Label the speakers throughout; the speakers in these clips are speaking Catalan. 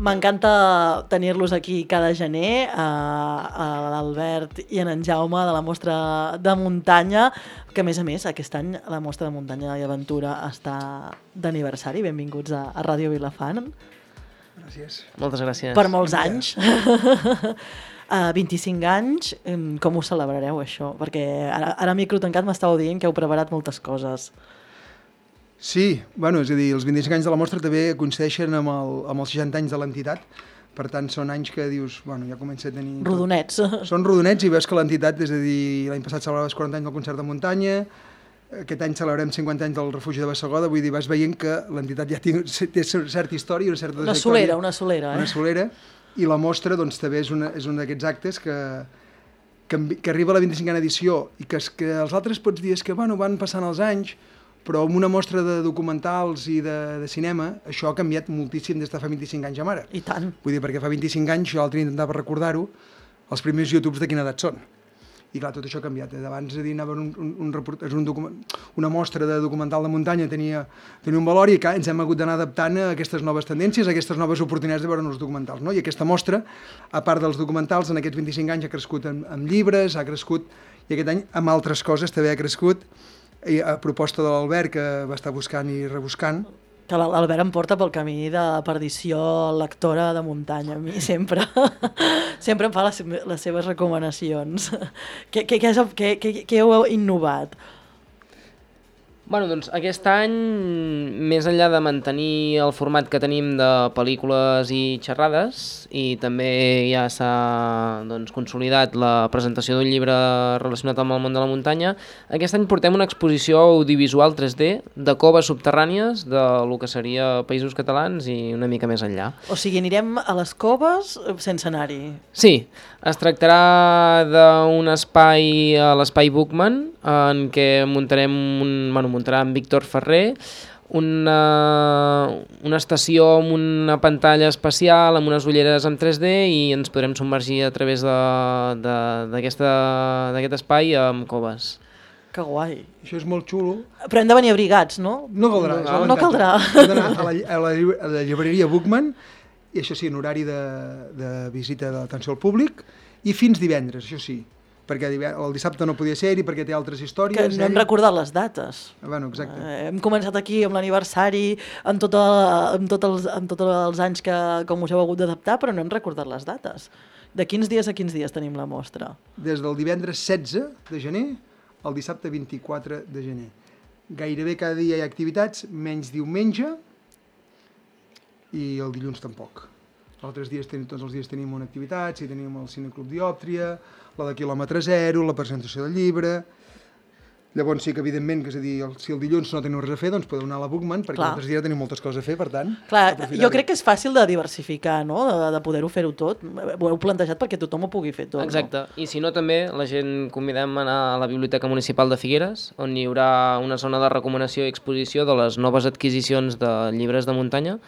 Speaker 1: M'encanta tenir-los aquí cada gener, a l'Albert i en Jaume de la mostra de muntanya, que a més aquest any la mostra de muntanya i aventura està d'aniversari. Benvinguts a Ràdio Vilafant.
Speaker 2: Gràcies.
Speaker 3: Moltes gràcies.
Speaker 1: Per molts anys. 25 anys, com ho celebrareu això? Perquè ara a micro tancat m'estàveu dient que heu preparat moltes coses.
Speaker 2: Sí, bueno, és a dir, els 25 anys de la mostra també coincideixen amb els 60 anys de l'entitat, per tant són anys que dius, bueno, ja comença a tenir...
Speaker 1: Rodonets.
Speaker 2: Són rodonets i veus que l'entitat, és a dir, l'any passat celebraves 40 anys del concert de muntanya, aquest any celebrem 50 anys del refugi de Bassegoda, vull dir, vas veient que l'entitat ja té certa història, una certa trajectòria.
Speaker 1: Una solera.
Speaker 2: Una solera, i la mostra doncs també és un d'aquests actes que arriba a la 25a edició i que els altres pots dir és que, bueno, van passant els anys, però amb una mostra de documentals i de cinema, això ha canviat moltíssim des de fa 25 anys a ara.
Speaker 1: I tant.
Speaker 2: Vull dir, perquè fa 25 anys, jo l'altre intentava recordar-ho, els primers YouTubes de quina edat són. I clar, tot això ha canviat. Abans anava una mostra de documental de muntanya, tenia un valor i ens hem hagut d'anar adaptant a aquestes noves tendències, a aquestes noves oportunitats de veure els documentals. No? I aquesta mostra, a part dels documentals, en aquests 25 anys ha crescut amb llibres, ha crescut, i aquest any amb altres coses també ha crescut, i a proposta de l'Albert, que va estar buscant i rebuscant.
Speaker 1: Que l'Albert em porta pel camí de perdició lectora de muntanya, a mi sempre. Sempre em fa les seves recomanacions. Què heu innovat?
Speaker 3: Bueno, doncs aquest any, més enllà de mantenir el format que tenim de pel·lícules i xerrades, i també ja s'ha consolidat la presentació d'un llibre relacionat amb el món de la muntanya, aquest any portem una exposició audiovisual 3D de coves subterrànies de lo que seria Països Catalans i una mica més enllà.
Speaker 1: O sigui, anirem a les coves sense anar-hi?
Speaker 3: Sí, es tractarà d'un espai a l'Espai Bookman, en què muntarà en Víctor Ferrer una estació amb una pantalla espacial, amb unes ulleres en 3D, i ens podrem submergir a través d'aquest espai amb coves.
Speaker 1: Que guai.
Speaker 2: Això és molt xulo.
Speaker 1: Però hem de venir abrigats, no?
Speaker 2: No caldrà.
Speaker 1: No caldrà.
Speaker 2: Hem d'anar a la llibreria Bookman, i això sí, en horari de visita d'atenció al públic, i fins divendres, això sí. Perquè el dissabte no podia ser-hi perquè té altres històries.
Speaker 1: Que no hem recordat les dates.
Speaker 2: Bueno, exacte.
Speaker 1: Hem començat aquí amb l'aniversari, amb tots els anys com us heu hagut d'adaptar, però no hem recordat les dates. De quins dies a quins dies tenim la mostra?
Speaker 2: Des del divendres 16 de gener al dissabte 24 de gener. Gairebé cada dia hi ha activitats, menys diumenge, i el dilluns tampoc. Tots els dies tenim una activitat, si tenim el Cineclub Diòptria, la de quilòmetre zero, la presentació del llibre. Llavors sí que, evidentment, que és a dir, si el dilluns no teniu res a fer, doncs podeu anar a la Bookman, perquè els altres dies tenim moltes coses a fer, per tant...
Speaker 1: Clar, jo crec que és fàcil de diversificar, no?, de poder-ho fer-ho tot. Ho heu plantejat perquè tothom ho pugui fer tot.
Speaker 3: Exacte, no? I si no també, la gent convidem a anar a la Biblioteca Municipal de Figueres, on hi haurà una zona de recomanació i exposició de les noves adquisicions de llibres de muntanya,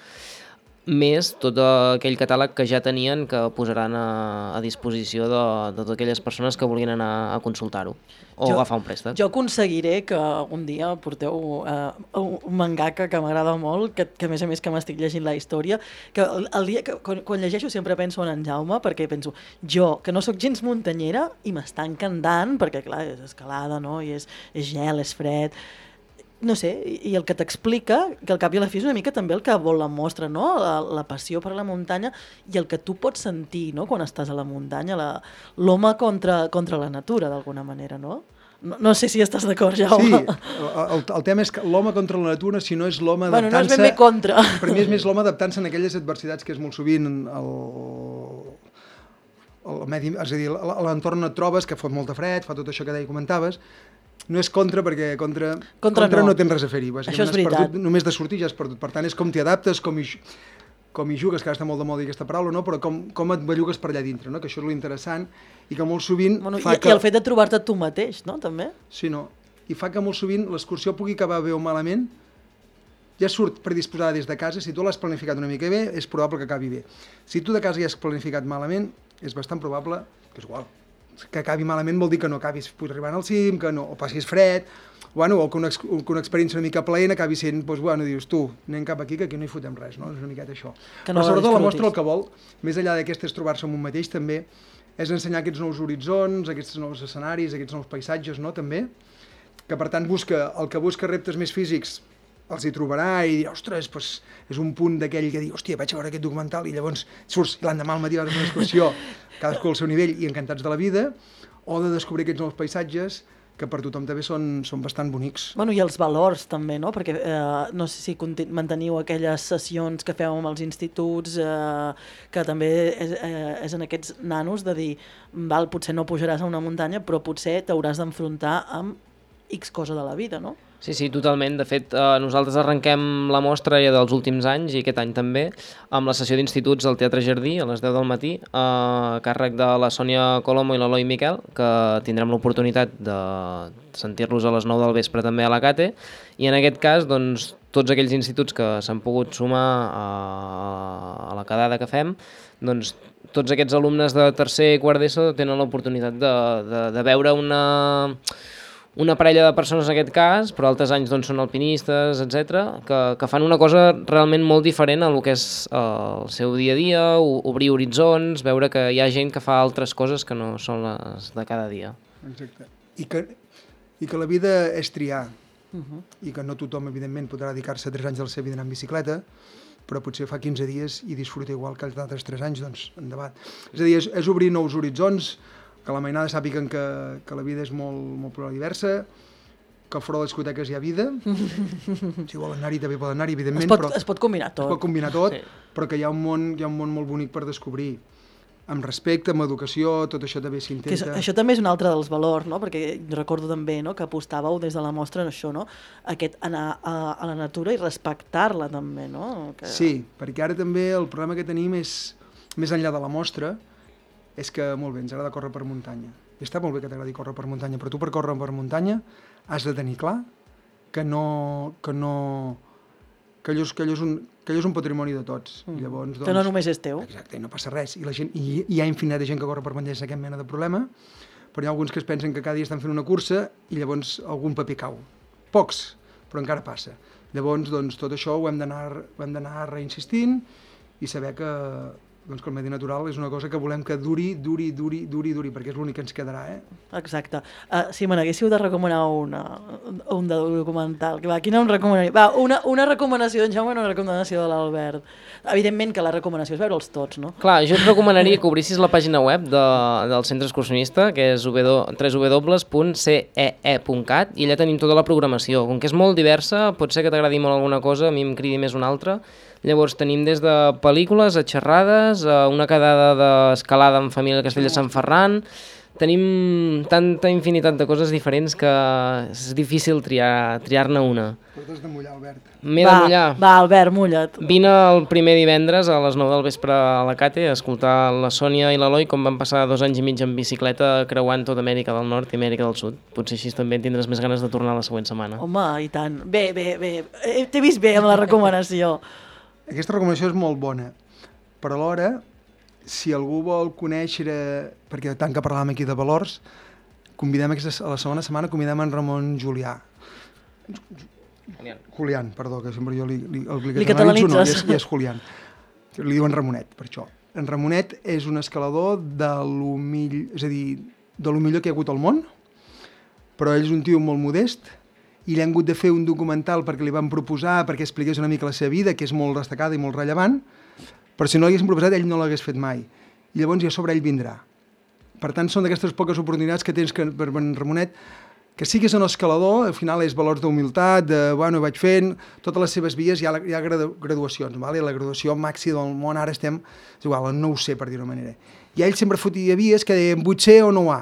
Speaker 3: més tot aquell catàleg que ja tenien, que posaran a disposició de totes aquelles persones que vulguin anar a consultar-ho o agafar un préstec.
Speaker 1: Jo aconseguiré que un dia porteu un mangaka que m'agrada molt, que a més que m'estic llegint la història, que el dia quan llegeixo sempre penso en Jaume, perquè penso, jo, que no sóc gens muntanyera, i m'està encantant, perquè clar, és escalada, no? I és gel, és fred... No sé, i el que t'explica, que al cap i a la fi és una mica també el que vol la mostra, no? La passió per la muntanya i el que tu pots sentir, no?, quan estàs a la muntanya, l'home contra la natura, d'alguna manera, no? No sé si estàs d'acord, Jaume.
Speaker 2: Sí, el tema és que l'home contra la natura, si no és l'home adaptant-se...
Speaker 1: Bueno, no és ben bé contra.
Speaker 2: Per mi és més l'home adaptant-se en aquelles adversitats que és molt sovint el medi, és a dir, a l'entorn et trobes, que fot molta fred, fa tot això que deia comentaves. No és contra, perquè contra no tens res a fer-hi.
Speaker 1: Això és veritat.
Speaker 2: Només de sortir ja has perdut. Per tant, és com t'hi adaptes, com hi jugues, que ara està molt de moda aquesta paraula, no? Però com et bellugues per allà dintre, no? Que això és l'interessant i que molt sovint fa que...
Speaker 1: I el fet de trobar-te tu mateix, no? També?
Speaker 2: Sí, no. I fa que molt sovint l'excursió pugui acabar bé o malament, ja surt predisposada des de casa. Si tu l'has planificat una mica bé, és probable que acabi bé. Si tu de casa ja has planificat malament, és bastant probable que és igual. que acabi malament vol dir que no acabis arribant al cim, que no, o passis fred, bueno, o que una experiència una mica plaent acabi sent, doncs, bueno, dius, tu, anem cap aquí, que aquí no hi fotem res, no? És una miqueta això. Però sobretot la mostra el que vol, més enllà d'aquestes trobar-se amb un mateix, també és ensenyar aquests nous horitzons, aquests nous escenaris, aquests nous paisatges, no?, també, que per tant el que busca reptes més físics els hi trobarà i dirà, ostres, doncs és un punt d'aquell que diu, hòstia, vaig a veure aquest documental i llavors surts l'endemà al matí a una excursió, cadascú al seu nivell i encantats de la vida, o de descobrir aquests nous paisatges que per tothom també són bastant bonics.
Speaker 1: Bueno, i els valors també, no? Perquè no sé si manteniu aquelles sessions que feu amb els instituts, que també és en aquests nanos de dir, val, potser no pujaràs a una muntanya, però potser t'hauràs d'enfrontar amb X cosa de la vida, no?
Speaker 3: Sí, totalment. De fet, nosaltres arrenquem la mostra ja dels últims anys, i aquest any també, amb la sessió d'instituts al Teatre Jardí a les 10 del matí, a càrrec de la Sònia Colomo i l'Eloi Miquel, que tindrem l'oportunitat de sentir-los a les 9 del vespre també a la Cate, i en aquest cas, doncs, tots aquells instituts que s'han pogut sumar a la quedada que fem, doncs tots aquests alumnes de tercer i quart d'ESO tenen l'oportunitat de veure una parella de persones en aquest cas, però altres anys doncs, són alpinistes, etc, que fan una cosa realment molt diferent a el que és el seu dia a dia, obrir horitzons, veure que hi ha gent que fa altres coses que no són les de cada dia.
Speaker 2: Exacte. I que la vida és triar, i que no tothom, evidentment, podrà dedicar-se 3 anys de la seva vida en bicicleta, però potser fa 15 dies i disfruta igual que els altres 3 anys, doncs endavant. És a dir, és obrir nous horitzons, que la mainada sàpiguen que la vida és molt plural i diversa, que al fora de les discoteques hi ha vida, si volen anar-hi també poden anar-hi, evidentment,
Speaker 1: es pot combinar tot.
Speaker 2: Es pot combinar tot,
Speaker 3: sí.
Speaker 2: Però que hi ha un món molt bonic per descobrir, amb respecte, amb educació, tot això també s'intenta.
Speaker 1: Això també és un altre dels valors, no? Perquè recordo també, no?, que apostàveu des de la mostra en això, no?, aquest anar a la natura i respectar-la també, no?
Speaker 2: Sí, perquè ara també el problema que tenim és, més enllà de la mostra, és que, molt bé, ens agrada córrer per muntanya. I està molt bé que t'agradi córrer per muntanya, però tu per córrer per muntanya has de tenir clar que allò és un patrimoni de tots. Llavors, doncs,
Speaker 1: que no només és teu.
Speaker 2: Exacte, i no passa res. I hi ha infinita gent que corre per muntanya sense cap mena de problema, però hi ha alguns que es pensen que cada dia estan fent una cursa i llavors algun paper cau. Pocs, però encara passa. Llavors, doncs, tot això ho hem d'anar reinsistint i saber que el medi natural és una cosa que volem que duri, perquè és l'únic que ens quedarà,
Speaker 1: Exacte. Si me n'haguéssiu de recomanar un documental, quina em recomanaria? Va, una recomanació d'en Jaume i una recomanació de l'Albert. Evidentment que la recomanació és veure'ls tots, no?
Speaker 3: Clar, jo et recomanaria que obrissis la pàgina web del Centre Excursionista, que és www.cee.cat, i allà tenim tota la programació. Com que és molt diversa, pot ser que t'agradi molt alguna cosa, a mi em cridi més una altra. Llavors tenim des de pel·lícules a xerrades, a una quedada d'escalada en família a Castell de Sant Ferran. Tenim tanta infinitat de coses diferents que és difícil triar-ne una.
Speaker 2: Però t'has de mullar, Albert.
Speaker 3: M'he de mullar.
Speaker 1: Va, Albert, mulla't.
Speaker 3: Vine el primer divendres a les 9 del vespre a la Cate a escoltar la Sònia i l'Eloi com van passar 2 anys i mig en bicicleta creuant tota Amèrica del Nord i Amèrica del Sud. Potser així també tindràs més ganes de tornar la següent setmana.
Speaker 1: Home, i tant. Bé. T'he vist bé amb la recomanació.
Speaker 2: Aquesta recomanació és molt bona, però alhora, si algú vol conèixer, perquè tant que parlàvem aquí de valors, a la segona setmana convidem en Ramon Julià. Julián, perdó, que sempre jo li
Speaker 1: catalanitzes.
Speaker 2: No, és Julián. Li diuen Ramonet, per això. En Ramonet és un escalador de lo millor que hi ha hagut al món, però ell és un tio molt modest, i li han hagut de fer un documental perquè li van proposar, perquè expliqués una mica la seva vida, que és molt destacada i molt rellevant, però si no l'haguessin proposat, ell no l'hagués fet mai. I llavors ja sobre ell vindrà. Per tant, són d'aquestes poques oportunitats que tens per en Ramonet, que siguis un escalador, al final és valors d'humilitat, ho vaig fent, totes les seves vies, hi ha graduacions, vale? La graduació màxima del món, ara estem, és igual, en 9C, per dir-ho manera. I ell sempre fotia vies que deien 8C o 9A.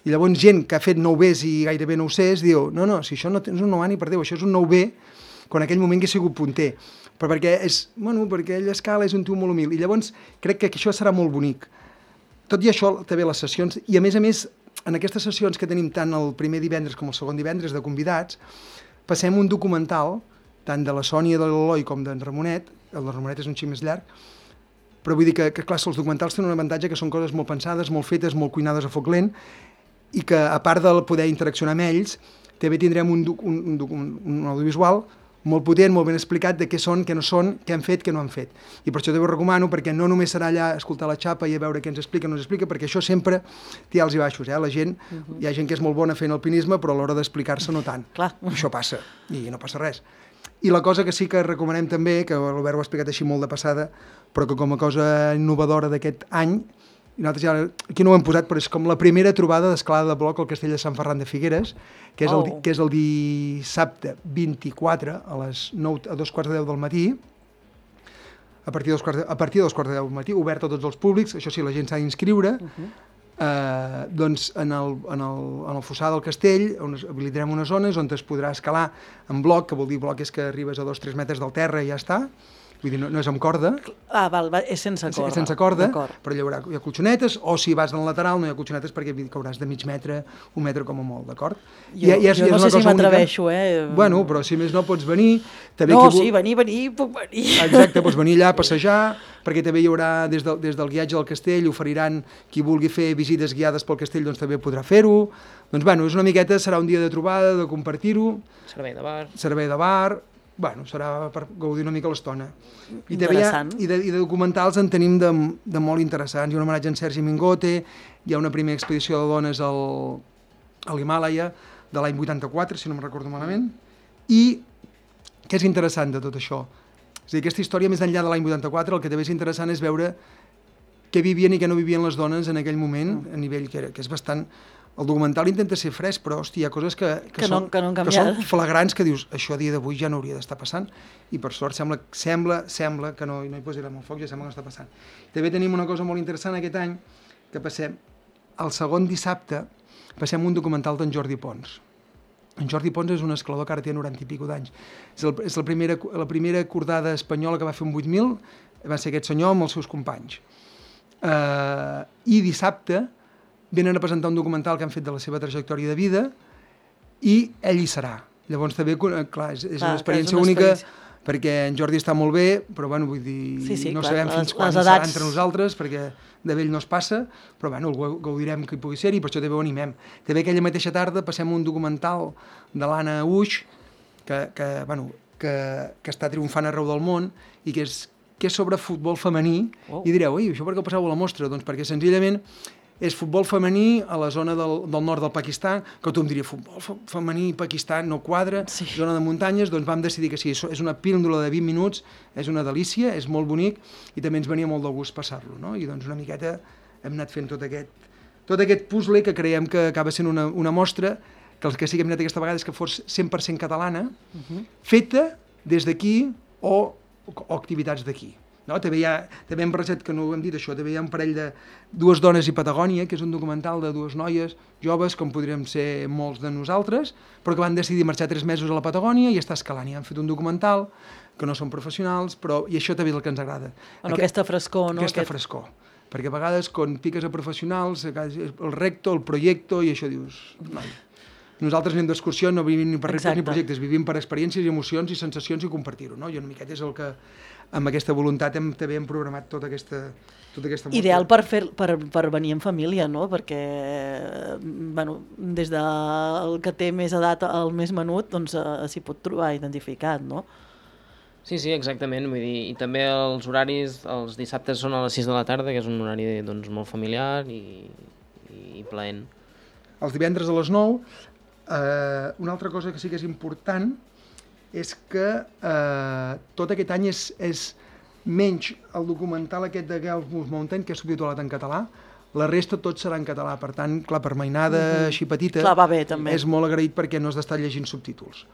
Speaker 2: I llavors gent que ha fet 9Bs i gairebé 9Cs diu, no, si això no tens un 9A ni per Déu, això és un 9B, quan en aquell moment hagués sigut punter. Però perquè ell escala, és un tio molt humil. I llavors crec que això serà molt bonic. Tot i això, també les sessions, i a més, en aquestes sessions que tenim tant el primer divendres com el segon divendres de convidats, passem un documental, tant de la Sònia de l'Eloi com d'en Ramonet, el de Ramonet és un xic més llarg, però vull dir que clar, els documentals tenen un avantatge que són coses molt pensades, molt fetes, molt cuinades a foc lent, i que a part de poder interaccionar amb ells, també tindrem un audiovisual molt potent, molt ben explicat de què són, què no són, què han fet, què no han fet. I per això també ho recomano, perquè no només serà allà escoltar la xapa i a veure què ens explica o no ens explica, perquè això sempre té alts i baixos. La gent, hi ha gent que és molt bona fent alpinisme, però a l'hora d'explicar-se no tant.
Speaker 1: Clar.
Speaker 2: Això passa, i no passa res. I la cosa que sí que recomanem també, que l'Albert ho ha explicat així molt de passada, però que com a cosa innovadora d'aquest any, i nosaltres ja, aquí no ho hem posat, però és com la primera trobada d'escalada de bloc al castell de Sant Ferran de Figueres, que és el dissabte 24 a les 9, a 2:15 del matí, a partir de 2:15 del matí, obert a tots els públics, això sí, la gent s'ha d'inscriure, doncs en el fossar del castell habilitarem unes zones on es podrà escalar en bloc, que vol dir bloc és que arribes a 2-3 metres del terra i ja està. Vull dir, no és amb corda.
Speaker 1: Val, és sense corda.
Speaker 2: És sense corda, però hi ha colxonetes, o si vas en lateral no hi ha colxonetes perquè cauràs de mig metre, 1 metre com a molt, d'acord?
Speaker 1: Jo no sé si m'atreveixo,
Speaker 2: Bueno, però si més no pots venir.
Speaker 1: Sí, venir, puc venir.
Speaker 2: Exacte, pots venir allà a passejar, perquè també hi haurà, des del guiatge del castell, oferiran qui vulgui fer visites guiades pel castell, doncs també podrà fer-ho. Doncs, bueno, és una miqueta, serà un dia de trobada, de compartir-ho. Servei de bar. Bueno, serà per gaudir una mica l'estona.
Speaker 1: Interessant.
Speaker 2: I de documentals en tenim de molt interessants. Hi ha un homenatge a en Sergi Mingote, hi ha una primera expedició de dones a l'Himàlaia de l'any 84, si no me'n recordo malament. I què és interessant de tot això? És a dir, aquesta història, més enllà de l'any 84, el que també és interessant és veure què vivien i què no vivien les dones en aquell moment, a nivell que és bastant... El documental intenta ser fresc, però, hòstia, hi ha coses que són flagrants, que dius, això a dia d'avui ja no hauria d'estar passant, i per sort sembla que no hi posarem el foc, ja sembla que no està passant. També tenim una cosa molt interessant aquest any, que passem, el segon dissabte, passem un documental d'en Jordi Pons. En Jordi Pons és un escalador que ara té 90 i escaig d'anys. És la primera cordada espanyola que va fer un 8.000, va ser aquest senyor amb els seus companys. I dissabte venen a presentar un documental que han fet de la seva trajectòria de vida i ell hi serà. Llavors també, clar, és una experiència única perquè en Jordi està molt bé, però bueno, vull dir, no sabem fins quan serà entre nosaltres, perquè de vell no es passa, però bueno, el gaudirem que hi pugui ser i per això també ho animem. També aquella mateixa tarda passem un documental de l'Anna Uix, que està triomfant arreu del món i que és sobre futbol femení, i direu, això per què ho passeu a la mostra? Doncs perquè senzillament és futbol femení a la zona del nord del Pakistan, que tothom diria, futbol femení, Pakistan, no quadra, zona de muntanyes, doncs vam decidir que sí, és una píndola de 20 minuts, és una delícia, és molt bonic, i també ens venia molt de gust passar-lo, no? I doncs una miqueta hem anat fent tot aquest puzzle que creiem que acaba sent una mostra, que el que sí que hem anat aquesta vegada és que fos 100% catalana, feta des d'aquí o activitats d'aquí. No? També hem barrejat, que no ho hem dit això, també hi ha un parell de Dues dones i Patagònia, que és un documental de dues noies joves, com podríem ser molts de nosaltres, però que van decidir marxar 3 mesos a la Patagònia i estar escalant. I han fet un documental, que no són professionals, i això també és el que ens agrada.
Speaker 1: Aquesta frescor, no?
Speaker 2: Aquesta frescor. Perquè a vegades, quan piques a professionals, el recto, el projecte, i això dius... Nosaltres anem d'excursió, no vivim ni per reptes ni projectes, vivim per experiències i emocions i sensacions i compartir-ho, no? I una miqueta és el que, amb aquesta voluntat, també hem programat tota aquesta mostra.
Speaker 1: Ideal per venir en família, no? Perquè, des del que té més edat al més menut, doncs s'hi pot trobar identificat, no?
Speaker 3: Sí, exactament, vull dir, i també els horaris, els dissabtes són a les 6 de la tarda, que és un horari molt familiar i plaent.
Speaker 2: Els divendres a les 9, una altra cosa que sí que és important és que tot aquest any és menys el documental aquest de Girls Move Mountain, que és subtitulat en català, la resta tot serà en català, per tant, clar, per mainada així petita,
Speaker 1: va bé, també.
Speaker 2: És molt agraït perquè no has d'estar llegint subtítols.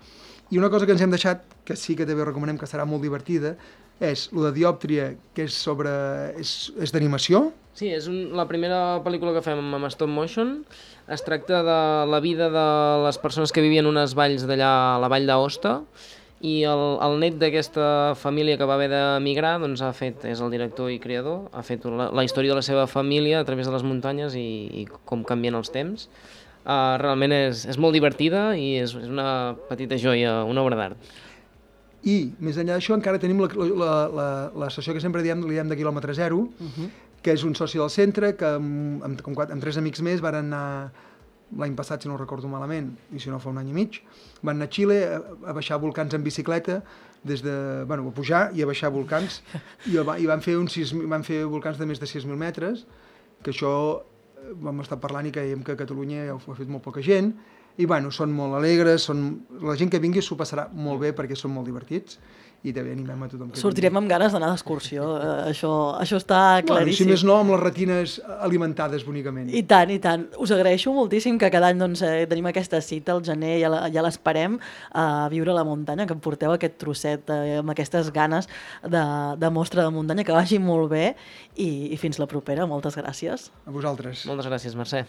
Speaker 2: I una cosa que ens hem deixat, que sí que també recomanem que serà molt divertida, és lo de Diòptria, que és d'animació.
Speaker 3: Sí, és la primera pel·lícula que fem amb stop motion. Es tracta de la vida de les persones que vivien unes valls d'allà, a la vall d'Aosta, i el net d'aquesta família que va haver d'emigrar, doncs és el director i creador, ha fet la història de la seva família a través de les muntanyes i com canvien els temps. Realment és molt divertida i és una petita joia, una obra d'art.
Speaker 2: I, més enllà d'això, encara tenim l'estació que sempre li diem de quilòmetre zero, que és un soci del centre, que amb 3 amics més van anar l'any passat, si no ho recordo malament, i si no fa un any i mig, van anar a Xile a baixar volcans en bicicleta, a pujar i a baixar volcans, i van fer volcans de més de 6.000 metres, que això vam estar parlant i creiem que a Catalunya ja ho ha fet molt poca gent, i són molt alegres, la gent que vingui s'ho passarà molt bé perquè són molt divertits, i també animem a tothom que
Speaker 1: sortirem amb ganes d'anar d'excursió, això està claríssim.
Speaker 2: Si més no, amb les retines alimentades bonicament.
Speaker 1: I tant. Us agraeixo moltíssim que cada any tenim aquesta cita al gener, ja l'esperem a viure a la muntanya, que em porteu aquest trosset amb aquestes ganes de mostra de muntanya, que vagi molt bé i fins la propera. Moltes gràcies.
Speaker 2: A vosaltres.
Speaker 3: Moltes gràcies, Mercè.